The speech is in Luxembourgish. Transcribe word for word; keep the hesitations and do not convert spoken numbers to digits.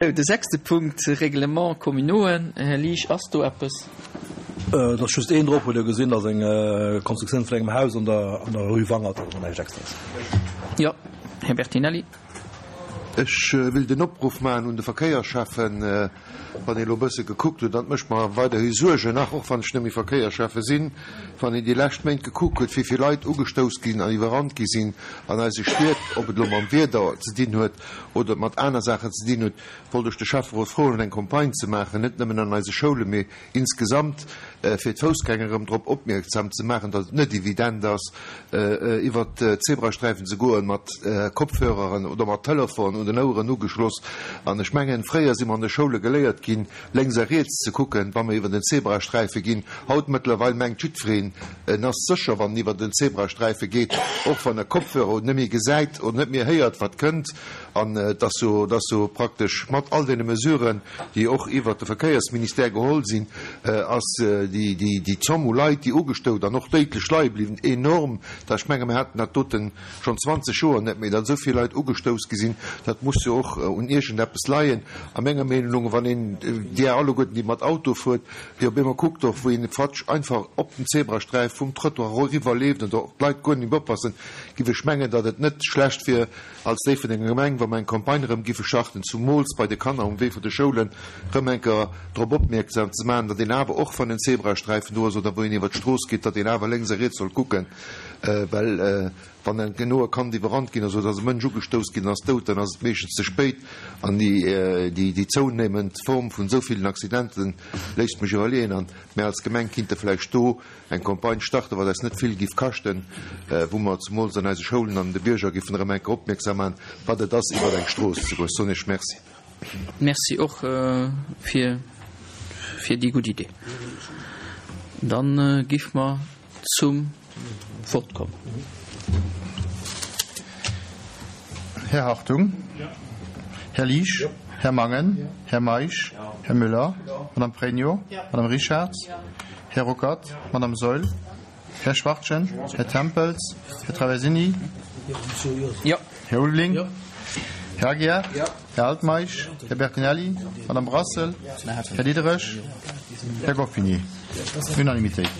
De sechste Punkt, Règlements communauxen. Här Liesch, ass do eppes? Et ass just een drop, hutt Der gesinn, dat ass eng Konstruktioun vun engem Haus an der an der Rue Wangert, also näischt Extraes. Jo, Här Bertinelli. Ech will den Opruff maachen un de Verkéierschäffen, wann een elo e bësse gekuckt huet, an et mécht mer weiderhi Suergen, nach och wann ech net méi Verkéierschäffe sinn, wann een déi lescht Méint gekuckt huet, wéi vill Leit ugestouss ginn an iwwerrannt gi sinn an eise Stied, ob et elo mam Wieder ze dinn huet oder et mat aner Saachen ze dinn huet, wollt ech de Schäfferot froen, eng Campagne ze maachen, net nëmmen an eise Schoule mee insgesamt, fir d'Foussgänger erëm drop opmierksam ze maachen, datt et net evident ass, iwwert d'Zebrasträifen ze goen mat Kopfhöreren oder mat Telefon un den Oueren ugeschloss. An ech mengen, fréier si mer an de Schoule geléiert ginn, lénks a riets ze kucken, wa mer iwwer den Zebrasträife ginn. Haut mëttlerweil mengt jiddwereen, en ass sécher, wann en iwwer den Zebrasträife geet, och wann e Kopfhörer huet, net méi gesäit oder net méi héiert, wat kënnt. An et ass jo, et ass jo praktesch mat all deene Mesuren, déi och iwwert de Verkéiersministère geholl sinn, ass déi, déi, déi Zomm u Leit, déi ugestout an och déidlech leie bliwwen, enorm. Da ech menge mir haten dat dote schonn zwanzeg Joer net méi, datt esou vill Leit ugestouss gi sinn. Dat muss jo och un iergendeppes leien, a menger Meenung, wann een, Dir alleguerten, déi mat Auto fuert, déi op eemol kuckt och, wou een fatsch einfach op den Zebrasträif vum Trottoir eriwwer leeft an do och d'Leit guer net méi oppassen, giff ech mengen, datt et net schlecht wier, als Déifferdenger Gemeng, wa mer eng Campagne erëm giffe starten, zumools bei de Kanner um Wee vun de Schoulen, erëm eng Kéier drop opmierksam ze maachen, datt een awer, och wann en Zebrasträifen do ass oder wou een iwwer d'Strooss geet, datt een awer lénks a riets soll kucken, well wann en elo e Kand iwwerrannt ginn ass oder ass e Mënsch ugestouss ginn an ass dout, dann ass et meeschtens ze spéit. An déi zounehmend Form vun esou villen Accidenten léisst mech iwwerleeën. An mär als Gemeng kinnte vläicht do eng Campagne starten, wat eis net vill giff kaschten, wou mer zemools an eise Schoulen an de Bierger giffen erëm eng Kéier opmierksam maachen, wat et ass, iwwer eng Strooss ze goen. Ech soen Iech Merci. Merci och fir fir déi gutt Idee. Dann giff mer zum Vott kommen. Här Hartung. Här Liesch. Här Mangen. Här Meisch. Här Müller. Madame Pregno. Madame Richarz. Här Ruckert, Madame Saeul, Här Schwachtgen, Här Tempels, Här Traversini, Här Ulveling, Här Aguiar, Här Altmeisch, Här Bertinelli, Madame Brassel, Här Diderich, Här Goffinet. Unanimitéit.